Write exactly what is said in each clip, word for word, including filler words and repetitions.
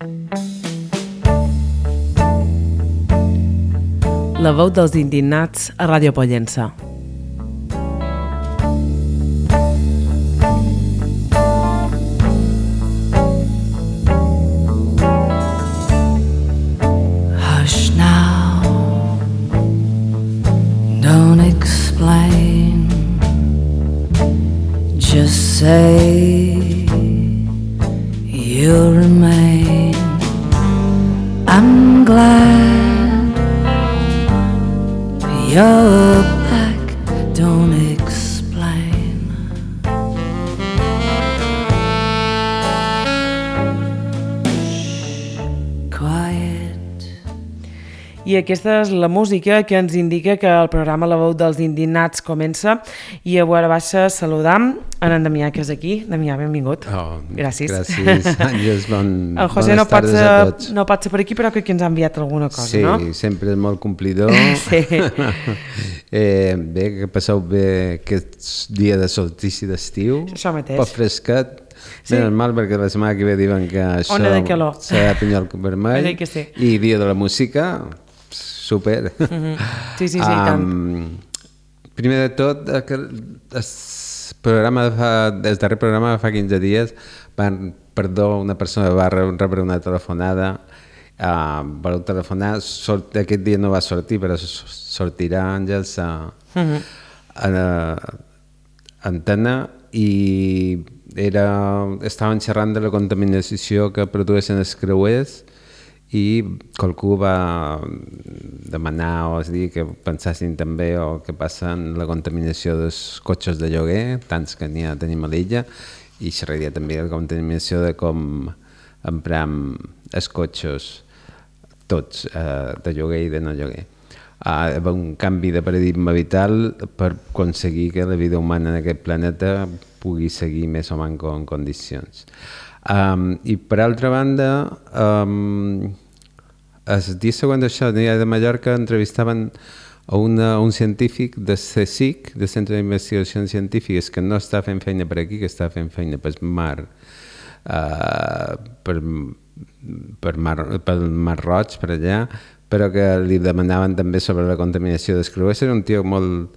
La veu dels indignats a Ràdio Pollença. Hush now, don't explain, just say you'll remain. I'm glad you're back, don't explain. Shh, quiet. I aquesta és la música que ens indica que el programa La veu dels indignats comença, i a veure baixa saludam en en Damià, que és aquí. Damià, benvingut. Oh, gràcies. Gràcies, Àngels, bon, el José bones no pot, tardes ser, a tots. no pot ser per aquí, però crec que ens ha enviat alguna cosa, sí, no? Sí, sempre és molt complidor. Sí. eh, bé, que passeu bé aquest dia de solstici d'estiu. Això mateix. Poc fresquet. Sí. Bé, normal, perquè la setmana que ve diuen que això Ona de calor. serà pinyol vermell. Que sí. I dia de la música, super. Mm-hmm. Sí, sí, sí, um, tant. Primer de tot, el programa de fa, el darrer programa fa quinze dies, van, perdó, una persona va rebre una telefonada, uh, va telefonar, sort, aquest dia no va sortir, però sortirà, Àngels, a, mm-hmm. a, a antena, i era, estaven xerrant de la contaminació que produeixen els creuers, i qualcú va demanar o és dir que pensassin també o què passa en la contaminació dels cotxes de lloguer, tants que n'hi ha tenim a l'illa, i xerraria també de la contaminació de com empram els cotxes tots, eh, de lloguer i de no lloguer. Uh, un canvi de paradigma vital per aconseguir que la vida humana en aquest planeta pugui seguir més o menys en condicions. Um, I per altra banda, um, el dia següent d'això, de Mallorca, entrevistaven a una, un científic de C S I C, de Centre d'Investigacions Científiques, que no està fent feina per aquí, que està fent feina pel mar, uh, per, per mar, pel mar Roig, per allà, però que li demanaven també sobre la contaminació dels creuers. Era un tio molt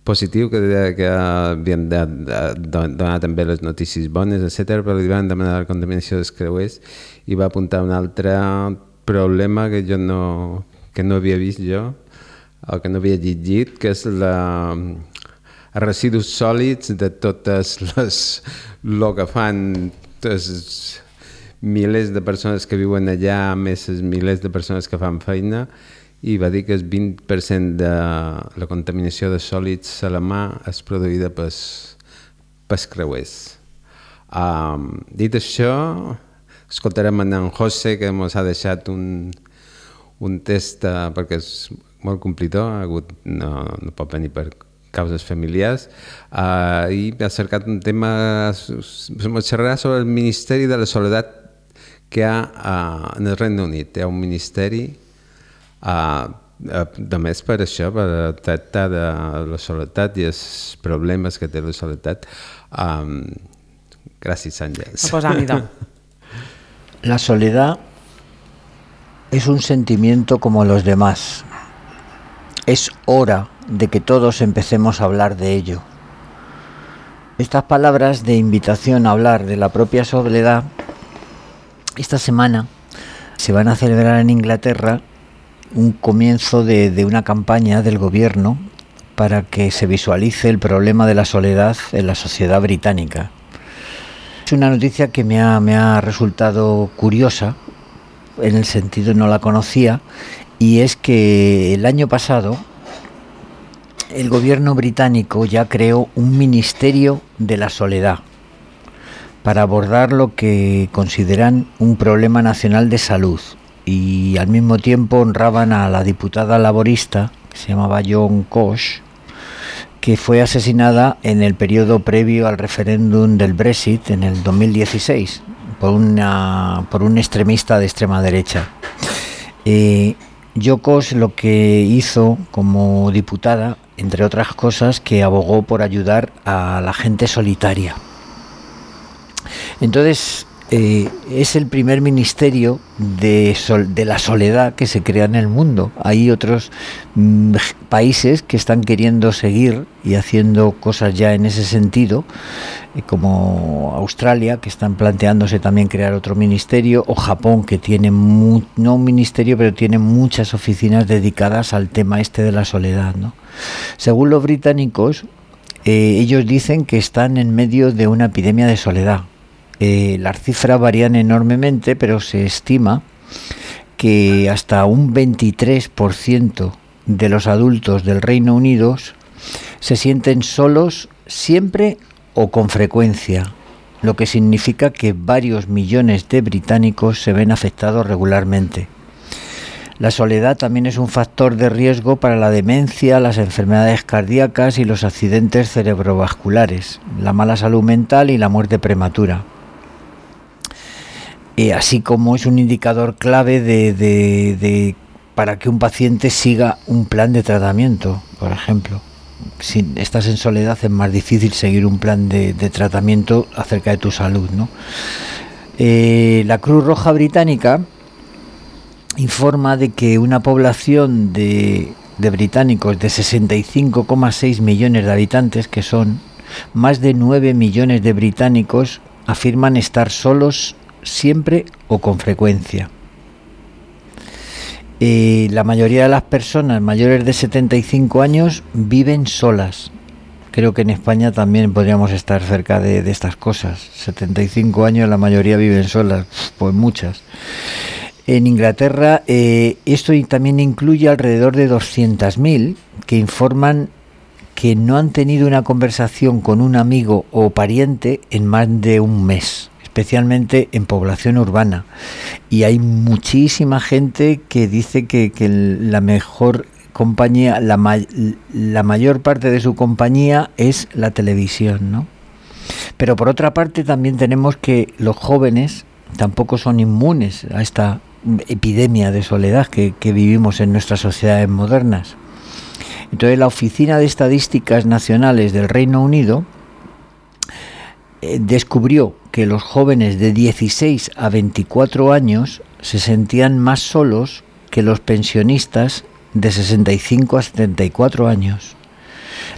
positiu, que deia que havien de, de, de donar també les notícies bones, etcètera, però li van demanar la contaminació dels creuers i va apuntar un altre problema que jo no, que no havia vist jo, o que no havia llegit, que és la, els residus sòlids de totes les, el que fan els milers de persones que viuen allà, més els milers de persones que fan feina, i va dir que el vint per cent de la contaminació de sòlids a la mà és produïda pels, pels creuers. Um, dit això, escoltarem en José, que ens ha deixat un, un test, uh, perquè és molt complidor, ha hagut, no, no pot venir per causes familiars, uh, i ha cercat un tema, ens xerrarà sobre el Ministeri de la Soledat que hi ha uh, en el Regne Unit. Hi ha un ministeri uh, uh, només per això, per tractar de la soledat i els problemes que té la soledat. Um, gràcies, Àngels. La soledad es un sentimiento como los demás. Es hora de que todos empecemos a hablar de ello. Estas palabras de invitación a hablar de la propia soledad, esta semana se van a celebrar en Inglaterra un comienzo de, de una campaña del gobierno para que se visualice el problema de la soledad en la sociedad británica. Es una noticia que me ha, me ha resultado curiosa, en el sentido no la conocía, y es que el año pasado el gobierno británico ya creó un ministerio de la soledad para abordar lo que consideran un problema nacional de salud, y al mismo tiempo honraban a la diputada laborista que se llamaba John Cosh, que fue asesinada en el periodo previo al referéndum del Brexit en el dos mil dieciséis por, una, por un extremista de extrema derecha. Eh, Jo Cosh lo que hizo como diputada, entre otras cosas, que abogó por ayudar a la gente solitaria. Entonces, eh, es el primer ministerio de, sol, de la soledad que se crea en el mundo. Hay otros mm, países que están queriendo seguir y haciendo cosas ya en ese sentido, eh, como Australia, que están planteándose también crear otro ministerio, o Japón, que tiene mu- no un ministerio, pero tiene muchas oficinas dedicadas al tema este de la soledad, ¿no? Según los británicos, eh, ellos dicen que están en medio de una epidemia de soledad. Eh, las cifras varían enormemente, pero se estima que hasta un veintitrés por ciento de los adultos del Reino Unido se sienten solos siempre o con frecuencia, lo que significa que varios millones de británicos se ven afectados regularmente. La soledad también es un factor de riesgo para la demencia, las enfermedades cardíacas y los accidentes cerebrovasculares, la mala salud mental y la muerte prematura. Eh, así como es un indicador clave de, de, de, para que un paciente siga un plan de tratamiento, por ejemplo. Si estás en soledad es más difícil seguir un plan de, de tratamiento acerca de tu salud, ¿no? Eh, la Cruz Roja Británica informa de que una población de, de británicos de sesenta y cinco coma seis millones de habitantes, que son más de nueve millones de británicos, afirman estar solos siempre o con frecuencia. Eh, la mayoría de las personas mayores de setenta y cinco años viven solas. Creo que en España también podríamos estar cerca de, de estas cosas. setenta y cinco años, la mayoría viven solas, pues muchas. En Inglaterra eh, esto también incluye alrededor de doscientos mil que informan que no han tenido una conversación con un amigo o pariente en más de un mes, especialmente en población urbana. Y hay muchísima gente que dice que, que la mejor compañía, la, ma- la mayor parte de su compañía es la televisión, ¿no? Pero por otra parte también tenemos que los jóvenes tampoco son inmunes a esta epidemia de soledad que, que vivimos en nuestras sociedades modernas. Entonces la Oficina de Estadísticas Nacionales del Reino Unido eh, descubrió que los jóvenes de dieciséis a veinticuatro años se sentían más solos que los pensionistas de sesenta y cinco a setenta y cuatro años.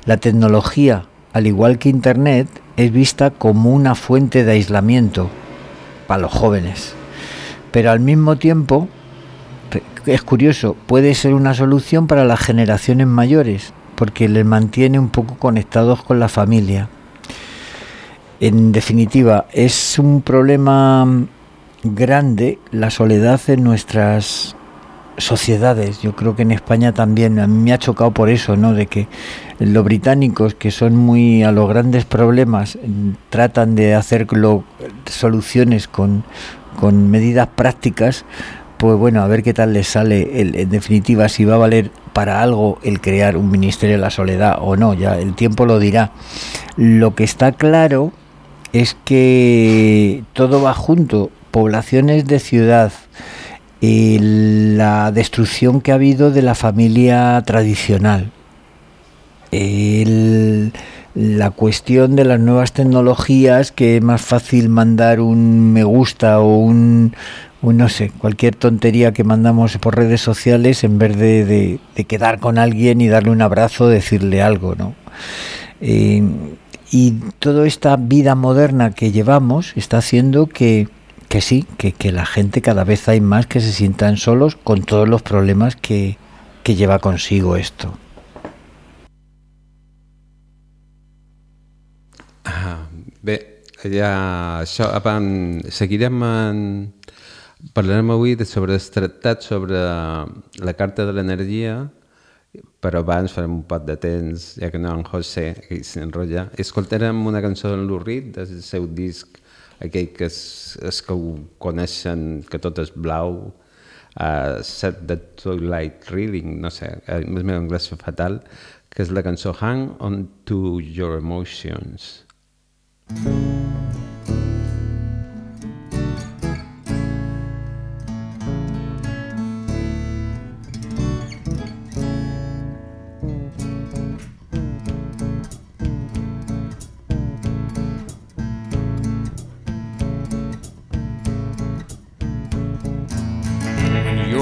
La tecnología, al igual que Internet, es vista como una fuente de aislamiento para los jóvenes, pero al mismo tiempo, es curioso, puede ser una solución para las generaciones mayores, porque les mantiene un poco conectados con la familia. En definitiva, es un problema grande la soledad en nuestras sociedades. Yo creo que en España también, a mí me ha chocado por eso, ¿no? De que los británicos, que son muy a los grandes problemas, tratan de hacer lo, soluciones con, con medidas prácticas. Pues bueno, a ver qué tal les sale, el, en definitiva, si va a valer para algo el crear un Ministerio de la Soledad o no, ya el tiempo lo dirá. Lo que está claro es que todo va junto, poblaciones de ciudad, eh, la destrucción que ha habido de la familia tradicional, el, la cuestión de las nuevas tecnologías, que es más fácil mandar un me gusta o un... Un, no sé, cualquier tontería que mandamos por redes sociales en vez de, de, de quedar con alguien y darle un abrazo, decirle algo, ¿no? Eh, y toda esta vida moderna que llevamos está haciendo que, que sí, que, que la gente cada vez hay más que se sientan solos con todos los problemas que, que lleva consigo esto. Ah, bé, ja, això, abans, seguirem en... Parlarem avui de sobre el tractat sobre la Carta de l'Energia, però abans farem un pot de temps, ja que no en José aquí s'enrotlla. Escoltarem una cançó d'en Lou Reed, del seu disc, aquell que és, és que ho coneixen, que tot és blau, uh, Set the Twilight Reading, no sé, el meu anglès és fatal, que és la cançó Hang On To Your Emotions.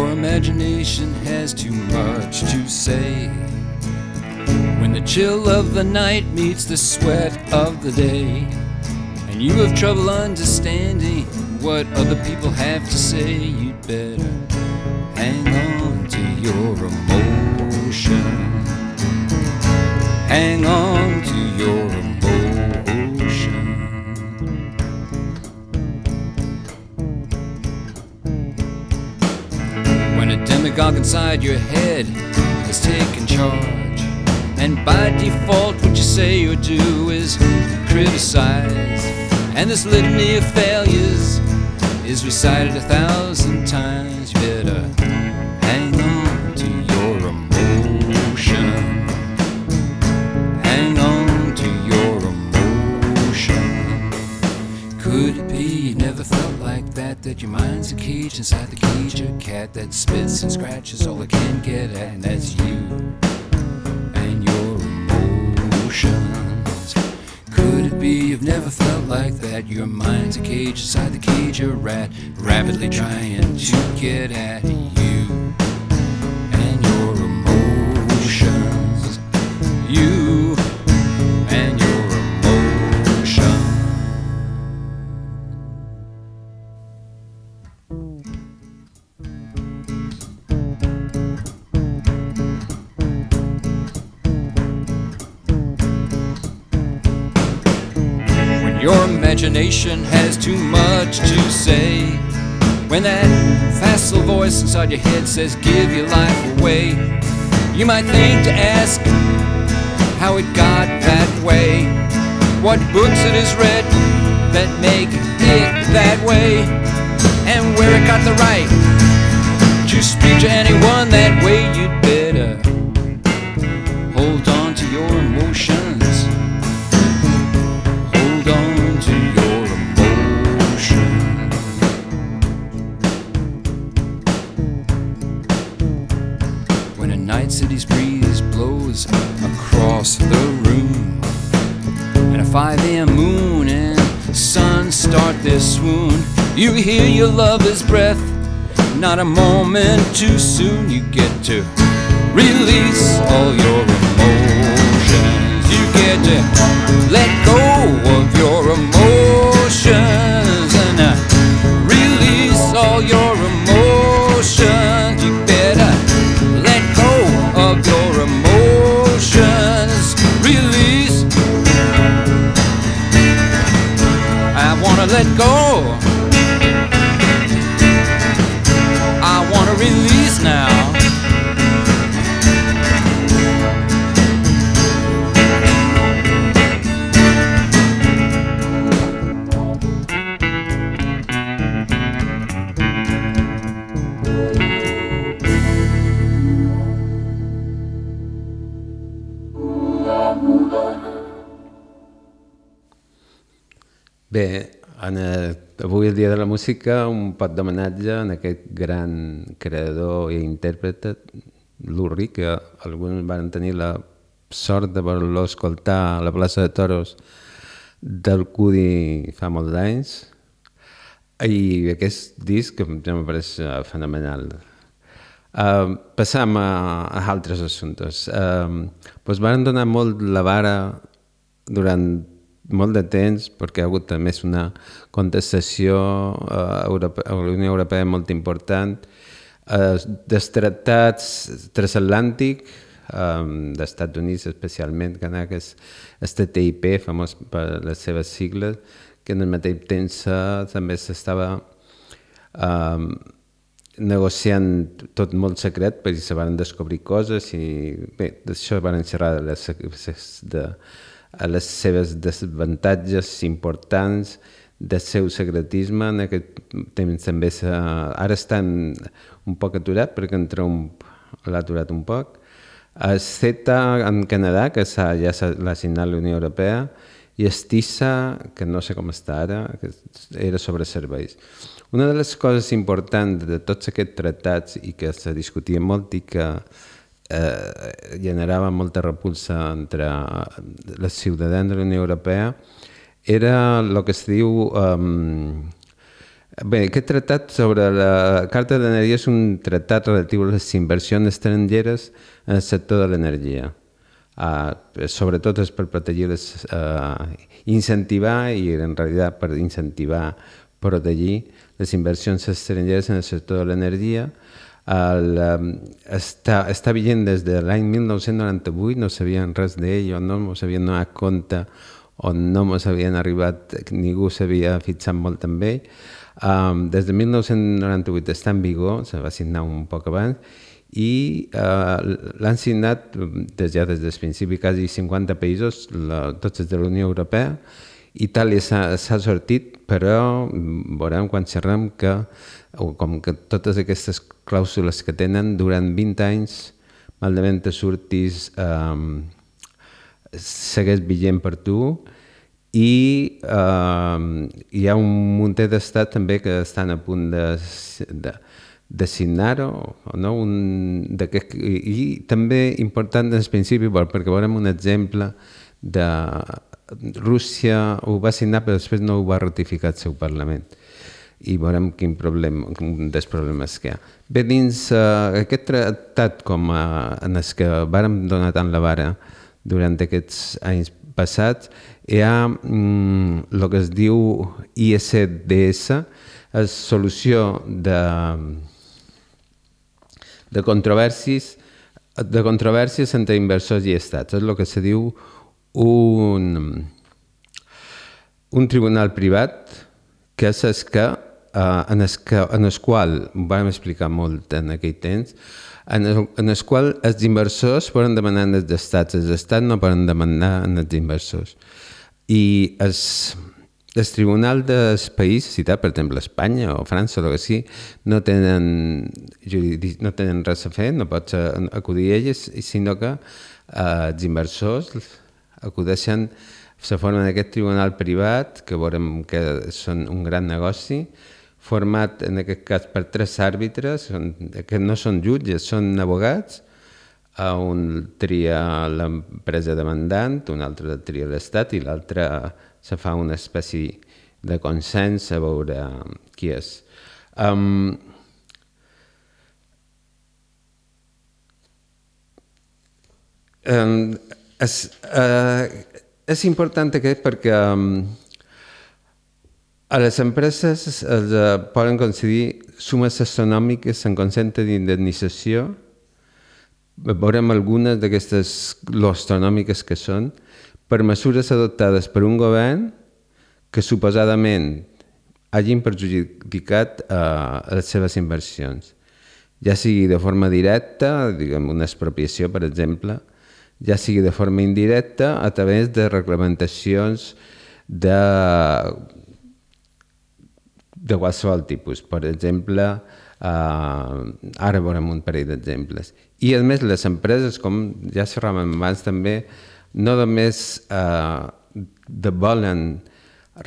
your imagination has too much to say. When the chill of the night meets the sweat of the day, and you have trouble understanding what other people have to say, you'd better hang on to your emotion. Hang on to your emotion. When a demagogue inside your head has taken charge, and by default what you say or do is criticize, and this litany of failures is recited a thousand times, you better hang on to your emotion. Hang on to your emotion. Could it be you never felt like that, that your mind's a cage inside the cage, a cat that spits and scratches all it can get at, and that's you and your emotions. Could it be you've never felt like that, your mind's a cage inside the cage, a rat rapidly trying to get at you and your emotions. You and your emotion. When your imagination has too much to say, when that facile voice inside your head says give your life away, you might think to ask how it got that way, what books it has read that make it that way, and where it got the right to speak to anyone that way. You'd better hold on to your emotions. Hold on to your emotions. When a night city's breeze blows across the room, and a five a.m. moon and sun start their swoon, you hear your lover's breath, not a moment too soon. You get to release all your emotions. You get to let go of your emotions and uh, release all your emotions. You better let go of your emotions. Release. I wanna let go. I wanna release now. Bé, en el, avui el Dia de la Música, un pot d'homenatge en aquest gran creador i intèrpret, Lou Reed, que alguns van tenir la sort de voler-lo escoltar a la plaça de Toros del Cudi fa molts anys, i aquest disc ja em pareix fenomenal. Uh, passam a, a altres assumptes. Uh, doncs van donar molt la vara durant molt de temps, perquè hi ha hagut més una contestació uh, Europe a la Unió Europea molt important, uh, dels tractats transatlàntic, um, dels Estats Units especialment, que era aquest T T I P, famós per les seves sigles, que en el mateix temps uh, també s'estava um, negociant tot molt secret, perquè se van descobrir coses i bé, d'això van xerrar de les, de, a les seves desavantatges importants del seu secretisme. En aquest temps també ara estan un poc aturat perquè en Trump l'ha aturat un poc. El CETA en Canadà, que ja l'ha signat la Unió Europea, i el TISA, que no sé com està ara, que era sobre serveis. Una de les coses importants de tots aquests tractats i que se discutia molt i que eh, generava molta repulsa entre els ciutadans de la Unió Europea era el que es diu um, Bé, aquest tractat sobre la Carta d'Energia és un tractat relatiu a les inversions estrangeres en el sector de l'energia. Uh, sobretot és per protegir, les, uh, incentivar i en realitat per incentivar, protegir les inversions estrangeres en el sector de l'energia. El, um, està, està vigent des de l'any mil nou-cents noranta-vuit, no sabien res d'ell o no m'ho sabien donat compte o no m'ho havien arribat, ningú s'havia fixat molt en ell. Um, des de mil nou-cents noranta-vuit està en vigor, se va signar un poc abans, i uh, l'han signat des, ja des del principi quasi cinquanta països, la, tots els de la Unió Europea. Itàlia s'ha sortit, però veurem quan xerrem que, com que totes aquestes clàusules que tenen durant vint anys, malament te surtis, um, segueix vigent per tu. I uh, hi ha un munt d'estats també que estan a punt de, de, de signar-ho, no? un, de que, i també important en principi, perquè veurem un exemple de Rússia ho va signar però després no ho va ratificar el seu Parlament i veurem quin problema, un dels problemes que hi ha. Bé, dins uh, aquest tractat com uh, en els que vàrem donar tant la vara durant aquests anys passats, hi ha mm, el que es diu I S D S, és solució de, de controvèrsies de controvèrsies entre inversors i estats. És el que se diu un, un tribunal privat que és el que, uh, en, el que en el qual, ho vam explicar molt en aquell temps, en el, en el qual els inversors poden demanar als estats, els estats no poden demanar als inversors. I els, el tribunal del país, citat, per exemple, Espanya o França o el que sigui, no tenen, no tenen res a fer, no pots acudir a elles, sinó que eh, els inversors acudeixen, se formen aquest tribunal privat, que veurem que són un gran negoci, format en aquest cas per tres àrbitres, que no són jutges, són abogats, un tria l'empresa demandant, un altre tria l'Estat i l'altre se fa una espècie de consens a veure qui és. Um, um, és, uh, és important aquest perquè um, a les empreses es uh, poden concedir sumes astronòmiques en concepte d'indemnització. Veurem algunes d'aquestes astronòmiques que són per mesures adoptades per un govern que suposadament hagin perjudicat uh, les seves inversions, ja sigui de forma directa, diguem una expropiació per exemple, ja sigui de forma indirecta a través de reglamentacions de de qualsevol tipus. Per exemple, eh, ara veurem un parell d'exemples. I a més les empreses, com ja xerràvem abans també, no només eh, de volen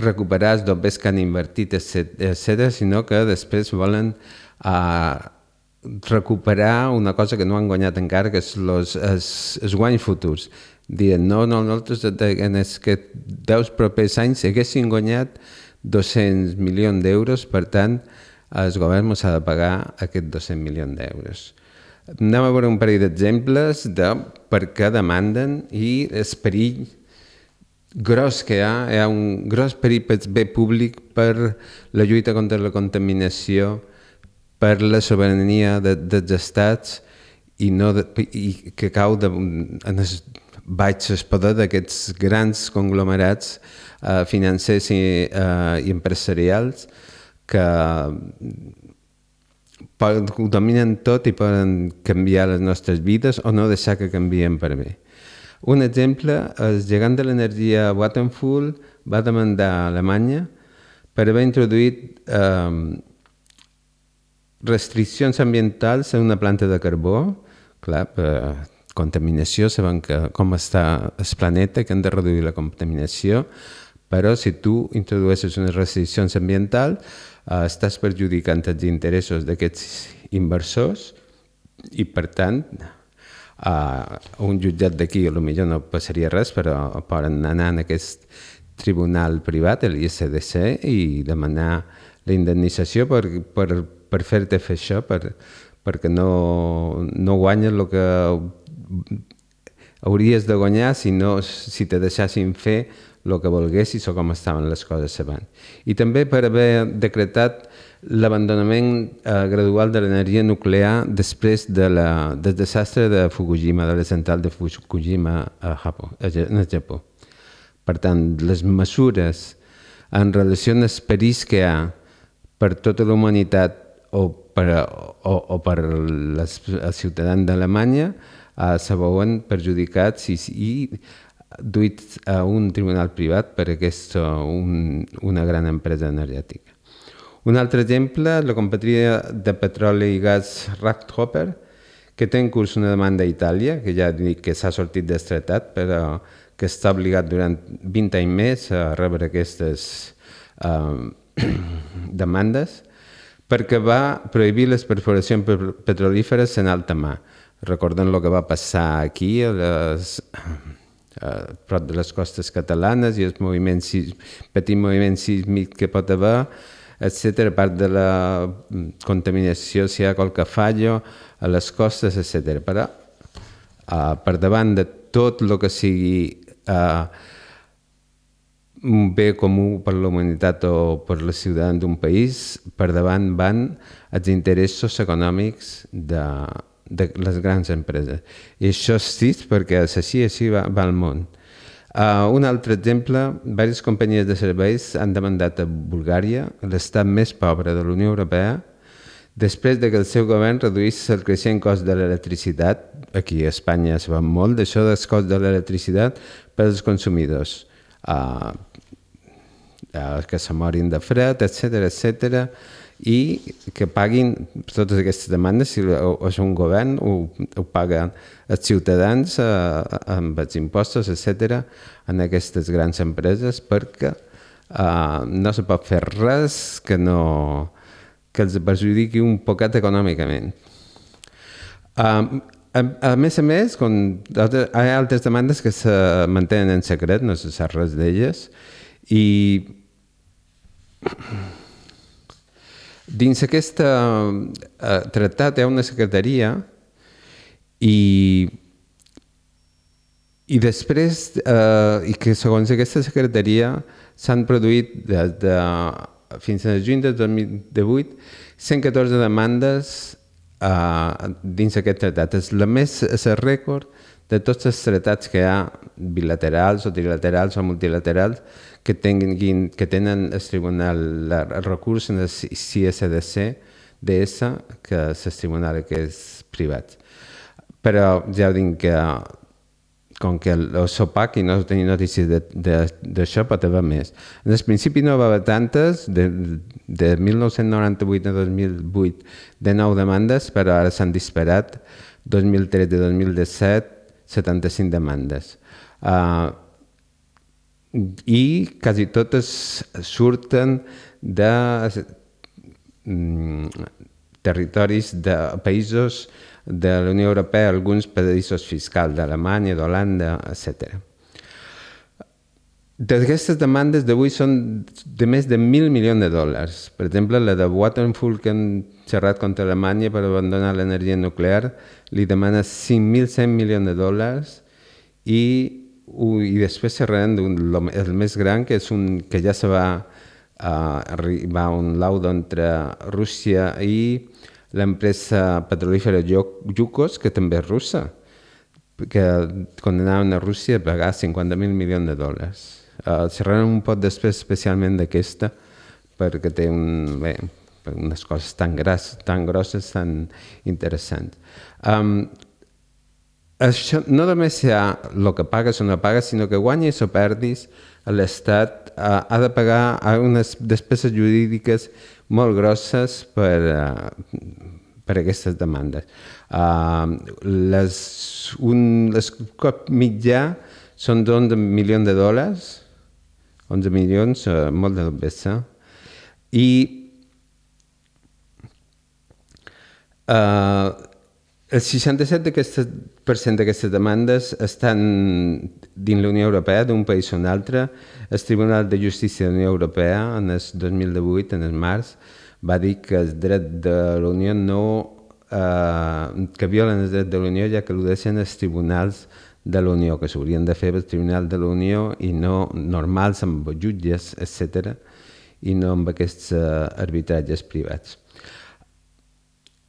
recuperar els dobbers que han invertit, etcètera, sinó que després volen eh, recuperar una cosa que no han guanyat encara, que és els, els, els guanys futurs. Dient, no, no, nosaltres en els que deu propers anys haguessin guanyat dos-cents milions d'euros, per tant, el govern ens ha de pagar aquests dos-cents milions d'euros. Anem a veure un parell d'exemples de per què demanden i el perill gros que hi ha, hi ha un gros perill per bé públic, per la lluita contra la contaminació, per la sobirania de, dels estats i, no de, i que cau de, en el baix el poder d'aquests grans conglomerats eh, financers i, eh, i empresarials que poden, ho dominen tot i poden canviar les nostres vides o no deixar que canvien per bé. Un exemple, el gegant de l'energia Vattenfall va demandar a Alemanya per haver introduït eh, restriccions ambientals en una planta de carbó. Clar, per contaminació, sabem que, com està el planeta, que hem de reduir la contaminació, però si tu introdueixes unes restriccions ambientals, eh, estàs perjudicant els interessos d'aquests inversors i, per tant, a un jutjat d'aquí potser no passaria res, però poden anar en aquest tribunal privat, l'I S D C, i demanar la indemnització per, per, per fer-te fer això, per, perquè no, no guanyes el que hauries de guanyar si, no, si te deixassin fer el que volguessis o com estaven les coses abans. I també per haver decretat l'abandonament eh, gradual de l'energia nuclear després de la, del desastre de Fukushima, de la central de Fukushima a Japó, a Japó. Per tant, les mesures en relació amb els perills que hi ha per tota la humanitat o per, o, o per les, els ciutadans d'Alemanya eh, se veuen perjudicats i, i duits a un tribunal privat per aquesta un, una gran empresa energètica. Un altre exemple, la companyia de petroli i gas Rachthopper, que té en curs una demanda a Itàlia, que ja dic que s'ha sortit del tractat, però que està obligat durant vint anys més a rebre aquestes eh, demandes, perquè va prohibir les perforacions petrolíferes en alta mar. Recordem el que va passar aquí, a les, a prop de les costes catalanes i el moviment, petit moviment sísmic que pot haver, etcètera, a part de la contaminació, si hi ha qualque fallo a les costes, etcètera. Però, uh, per davant de tot el que sigui uh, un bé comú per la humanitat o per els ciutadans d'un país, per davant van els interessos econòmics de, de les grans empreses. I això és trist perquè així, així va, va el món. Uh, un altre exemple, diverses companyies de serveis han demandat a Bulgària, l'estat més pobre de la Unió Europea, després de que el seu govern reduís el creixent cost de l'electricitat, aquí a Espanya es va molt d'això del cost de l'electricitat per als consumidors, uh, uh, que se morin de fred, etcètera, etcètera, i que paguin totes aquestes demandes, si és un govern, ho, ho paguen els ciutadans eh, amb els impostos, etcètera, en aquestes grans empreses, perquè eh, no se pot fer res que, no, que els perjudiqui un poquet econòmicament. Eh, a, a més a més, com hi ha altres demandes que se mantenen en secret, no se sap res d'elles, i dins aquest uh, tractat hi ha una secretaria i, i després, uh, i que segons aquesta secretaria s'han produït des de, fins a juny de dos mil divuit cent catorze demandes uh, dins aquest tractat. És la més, és el rècord de tots els tractats que hi ha bilaterals o trilaterals o multilaterals que, tinguin, que tenen el tribunal, el recurs en el C S D C D S, que és el tribunal que és privat. Però ja ho dic que com que el SOPAC i no tenia notícies d'això pot haver més. En el principi no va haver tantes, de, de mil nou-cents noranta-vuit a dos mil vuit de nou demandes, però ara s'han disparat, dos mil tretze a dos mil disset, setanta-cinc demandes. Uh, I quasi totes surten de mm, territoris de països de la Unió Europea, alguns paradisos fiscals d'Alemanya, d'Holanda, etcètera. D'aquestes demandes d'avui són de més de mil milions de dòlars. Per exemple, la de Vattenfall, que han xerrat contra Alemanya per abandonar l'energia nuclear, li demana cinc mil cent milions de dòlars i, i després xerraran del més gran, que és un que ja se va uh, arribar a un laudo entre Rússia i l'empresa petrolífera Yukos, que també és russa, que condenaven a Rússia a pagar cinquanta mil milions de dòlars. Uh, xerraran un poc després especialment d'aquesta, perquè té un, bé, unes coses tan, gras, tan grosses, tan interessants. Um, això no només hi ha el que pagues o no pagues, sinó que guanyis o perdis, l'Estat uh, ha de pagar unes despeses jurídiques molt grosses per, uh, per aquestes demandes. Uh, les, un, les cop mitjà són d'onze milions de dòlars, onze milions, uh, molt de bessa, i uh, El seixanta-set per cent d'aquestes demandes estan dins la Unió Europea, d'un país o un altre. El Tribunal de Justícia de la Unió Europea, en el dos mil divuit, en el març, va dir que el dret de la Unió no... Eh, que violen el dret de la Unió, ja que al·ludeixen els tribunals de la Unió, que s'haurien de fer el Tribunal de la Unió i no normals amb jutges, etcètera, i no amb aquests uh, arbitratges privats.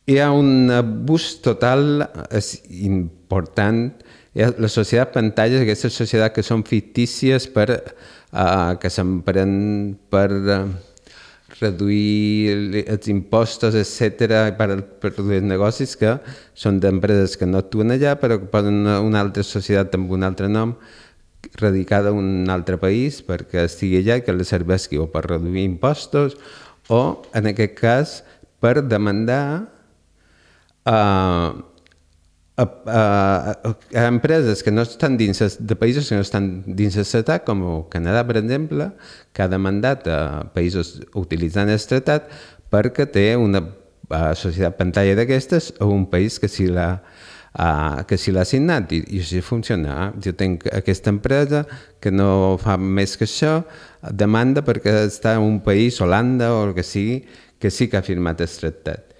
Hi ha un abús total, és important, hi ha la societat pantalles, aquestes societats que són fictícies per, uh, que s'empren per uh, reduir els impostos, etcètera, per, per reduir els negocis, que són d'empreses que no actuen allà, però que poden una altra societat amb un altre nom, radicada en un altre país, perquè estigui allà i que li serveixi o per reduir impostos o, en aquest cas, per demandar a, a, a, a empreses que no estan dins de països que no estan dins del tractat, com el Canadà, per exemple, que ha demandat a països utilitzant el tractat perquè té una societat pantalla d'aquestes a un país que si l'ha Uh, que si l'ha signat i, i així funciona. Jo tinc aquesta empresa que no fa més que això, demanda perquè està en un país, Holanda o el que sigui, que sí que ha firmat el tractat.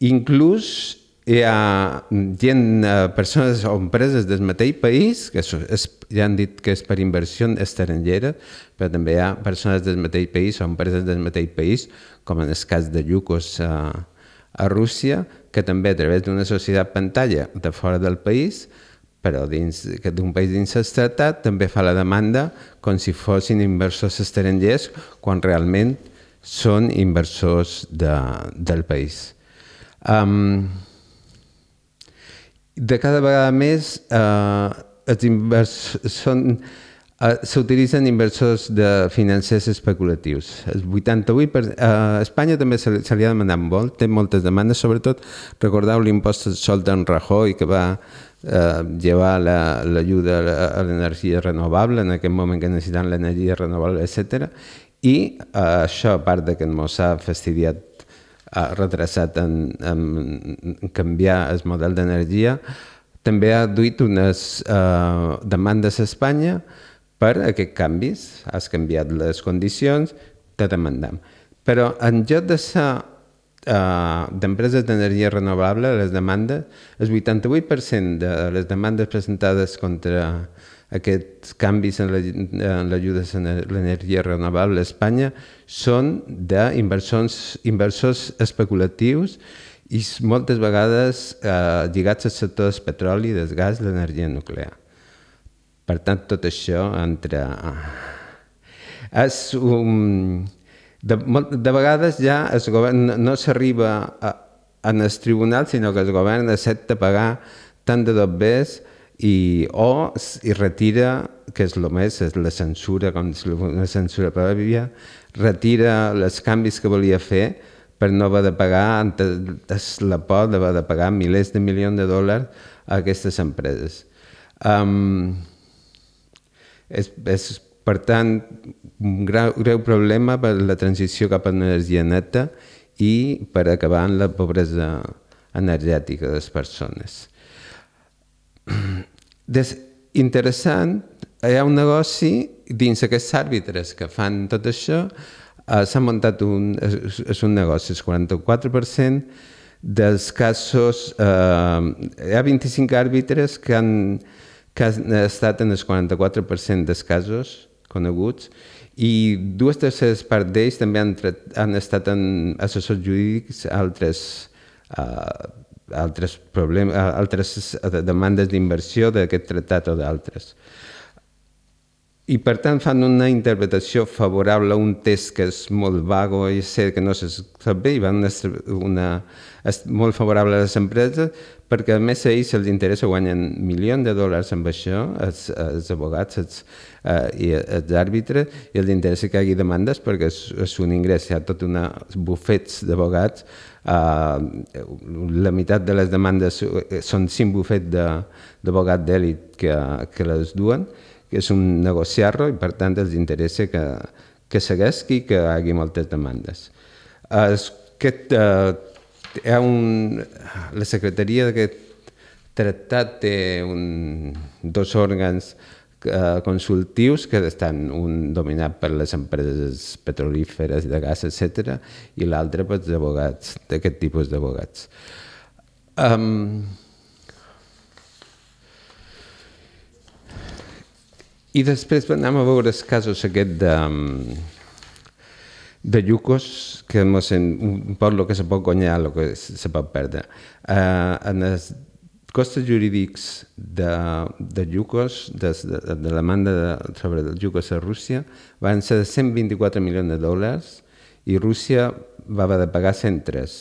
Inclús hi ha gent, persones o empreses del mateix país, que és, ja han dit que és per inversió estrangera, però també hi ha persones del mateix país o empreses del mateix país, com en el cas de Yukos a, a Rússia, que també a través d'una societat pantalla de fora del país, però dins d'un país dins el tractat, també fa la demanda com si fossin inversors estrangers quan realment són inversors de, del país. Um, de cada vegada més uh, els inversors són... Uh, s'utilitzen inversors de financers especulatius. El vuitanta-vuit per cent, uh, a Espanya també se, se li ha demanat molt, té moltes demandes, sobretot recordeu l'impost al sol d'en Rajoy que va uh, llevar l'ajuda la, a l'energia renovable en aquell moment que necessitaven l'energia renovable, etcètera. I uh, això, a part de que ens ha fastidiat, ha retrasat en, en canviar el model d'energia, també ha duit unes uh, demandes a Espanya per aquests canvis. Has canviat les condicions, te demandam. Però en lloc de ser uh, d'empreses d'energia renovable, les demandes, el vuitanta-vuit per cent de les demandes presentades contra aquests canvis en l'ajuda a l'energia renovable a Espanya són d'inversors inversors especulatius i moltes vegades uh, lligats al sector del petroli, del gas i l'energia nuclear. Per tant, tot això entre... És un... de, de vegades ja el govern no, no s'arriba en el tribunal, sinó que el govern accepta pagar tant de dobbers i, o i retira, que és el més, és la censura, com una censura prèvia, retira els canvis que volia fer per no haver de pagar, és la por d'haver de pagar milers de milions de dòlars a aquestes empreses. Um, És, és, per tant, un greu, greu problema per la transició cap a l'energia neta i per acabar amb la pobresa energètica de les persones. Des, interessant, hi ha un negoci dins aquests àrbitres que fan tot això, eh, s'ha muntat un, és, és un negoci, el quaranta-quatre per cent dels casos, eh, hi ha vint-i-cinc àrbitres que han que han estat en el quaranta-quatre per cent dels casos coneguts i dues terceres parts d'ells també han, han estat en assessors jurídics a altres, uh, altres, problemes, altres demandes d'inversió d'aquest tractat o d'altres. I per tant fan una interpretació favorable a un text que és molt vago i sé que no se sap bé i van una, és molt favorable a les empreses perquè a més a ells els interessa guanyen milions de dòlars amb això, els, els abogats els, uh, i els àrbitres, i els interessa que hi hagi demandes perquè és, és un ingrés, hi ha tot una bufets d'abogats, uh, la meitat de les demandes són cinc bufets d'abogats d'èlit que, que les duen, que és un negociar-lo i per tant els interessa que, que segueixi i que hi hagi moltes demandes. Aquest, uh, hi ha un, la secretaria d'aquest tractat té un, dos òrgans uh, consultius que estan un dominat per les empreses petrolíferes, de gas, etcètera, i l'altre pels advocats, d'aquest tipus d'advocats. Um, I després anem a veure els casos aquest de, de Yucos, que mos en, un poc el que se pot guanyar, el que se pot perdre. Uh, en els costos jurídics de, de Yucos, de, de, de la demanda de, sobre els Yucos a Rússia, van ser de cent vint-i-quatre milions de dòlars i Rússia va haver de pagar cent tres.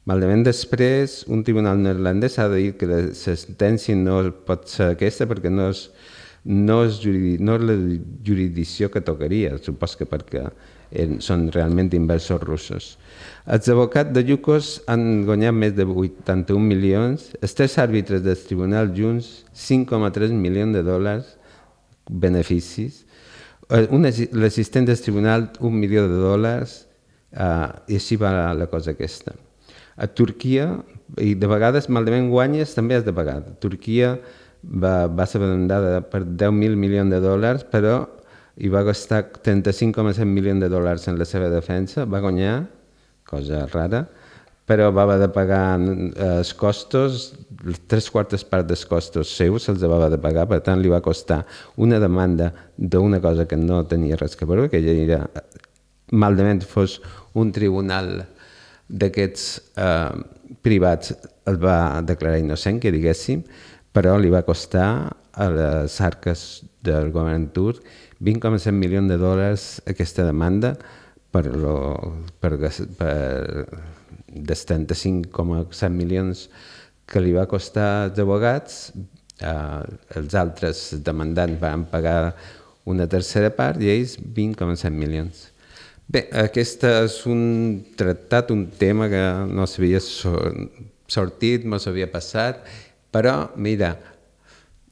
Malament després, un tribunal neerlandès ha de dir que la sentència no pot ser aquesta perquè no és No és, juridi, no és la jurisdicció que tocaria, supos que perquè són realment inversors russos. Els advocats de Yukos han guanyat més de vuitanta-un milions, els tres àrbitres del tribunal junts cinc coma tres milions de dòlars, beneficis, l'assistent del tribunal un milió de dòlars, uh, i així va la cosa aquesta. A Turquia, i de vegades malament guanyes, també has de pagar. Turquia Va, va ser vendada per deu mil milions de dòlars, però hi va gastar trenta-cinc coma set milions de dòlars en la seva defensa, va guanyar, cosa rara, però va haver de pagar els costos, tres quartes parts dels costos seus se'ls va haver de pagar, per tant li va costar una demanda d'una cosa que no tenia res que veure, que ja era, malament fos un tribunal d'aquests eh, privats, el va declarar innocent, que diguéssim, però li va costar a les arques del govern turc vint coma set milions de dòlars aquesta demanda per, lo, per, per dels trenta-cinc coma set milions que li va costar als advocats. Eh, els altres demandants van pagar una tercera part i ells vint coma set milions. Bé, aquest és un tractat, un tema que no s'havia sortit, no s'havia passat, però, mira,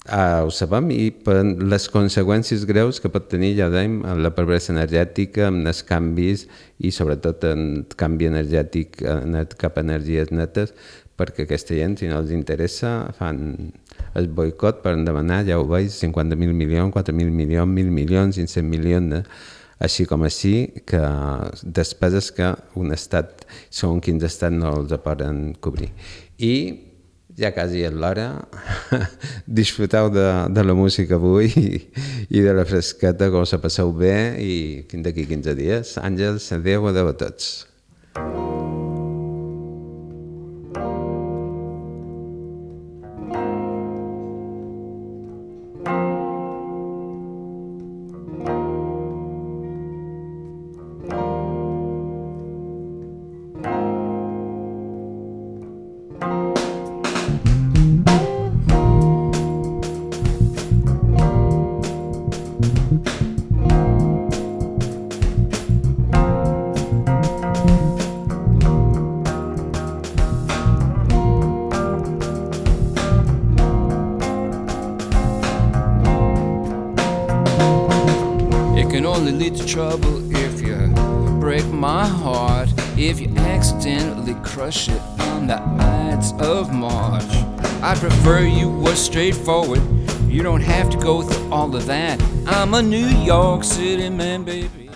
uh, ho sabem i per les conseqüències greus que pot tenir, ja dèiem, en la pobresa energètica, amb els canvis i sobretot en el canvi energètic net cap a energies netes, perquè aquesta gent, si no els interessa, fan el boicot per demanar, ja ho veig, cinquanta mil milions, quatre mil milions, mil milions, cinc-cents milions, eh? Així com així, que despeses que un estat, segons quins estats, no els poden cobrir. I ja quasi és l'hora, disfruteu de, de la música avui i, i de la fresqueta, que us passeu bé i fins d'aquí quinze dies. Àngels, adéu, adéu a tots. Trouble if you break my heart, if you accidentally crush it on the Ides of March. I prefer you were straightforward, you don't have to go through all of that. I'm a New York City man, baby.